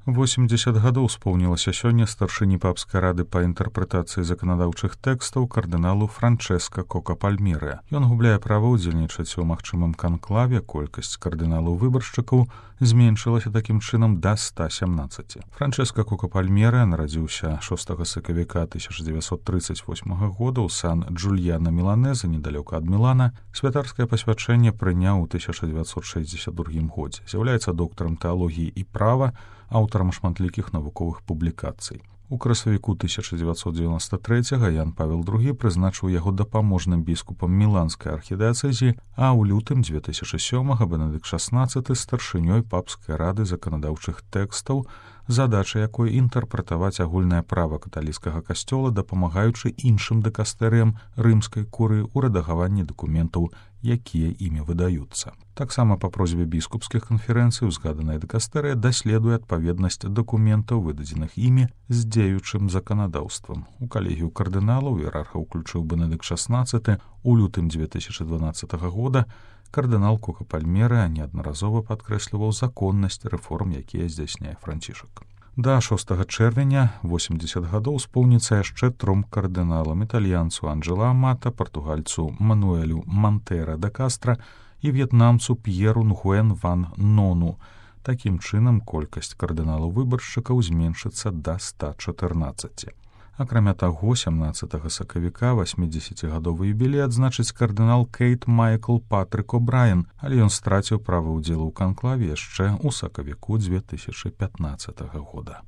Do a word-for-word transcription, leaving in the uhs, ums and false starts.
восемьдесят гадоў споўнілася сёння старшыні папскай рады па інтэрпрэтацыі заканадаўчых тэкстаў кардыналу Франчэска Кока-Пальмерэ. Ён губляе права ўдзельнічаць у магчымым канклаве, колькасць кардыналаў-выбаршчыкаў зменшылася такім чынам да ста сямнаццаці. Франчэска Кока-Пальмерэ нарадзіўся шостага сакавіка тысяча дзевяцьсот трыццаць восьмага года ў Сан-Джульяна Міланеза, недалёка ад Мілана. Святарскае пасвячэнне прыняў у тысяча дзевяцьсот шэсцьдзесят другім годзе. З'яўляецца доктарам тэалогіі і права, аўтарам шматлікіх навуковых публікацый. У красавіку тысяча дзевяцьсот дзевяноста трэцяга Ян Павел другі прызначыў яго дапаможным біскупам міланскай архідыяцэзіі, а ў лютым дзве тысячы сёмага Бенедыкт шаснаццаты старшынёй папскай рады заканадаўчых тэкстаў, задача якой інтэрпрэтаваць агульнае права каталіцкага касцёла, дапамагаючы іншым дыкастэрыям рымскай курыі ў рэдагаванні дакументаў, якія імі выдаюцца. Таксама па просьбе біскупскіх канферэнцый узгаданая дыкастэрыя даследуе адпаведнасць дакументаў, выдадзеных імі, з дзеючым заканадаўствам. У калегію кардыналаў іерарха ўключыў Бенедыкт шаснаццаты. У лютым дзве тысячы дванаццатага года кардынал Кока-Пальмерэ неаднаразова падкрэсліваў законнасць рэформ, якія здзяйсняе Францішак. Да шостага чэрвеня восемьдесят гадоў споўніцца яшчэ тром кардыналам: італьянцу Анджэло Амата, партугальцу Мануэлю Мантэра да Кастра і в'етнамцу П'еру Нгуэн ван Нону. Такім чынам колькасць кардыналаў-выбаршчыкаў зменшыцца да ста чатырнаццаці. Акрамя таго, сямнаццатага сакавіка васьмідзесяцігадовы юбілей адзначыць кардынал Кейт Майкл Патрык О'Брайен, але ён страціў права ўдзелу ў канклаве яшчэ ў сакавіку дзве тысячы пятнаццатага года.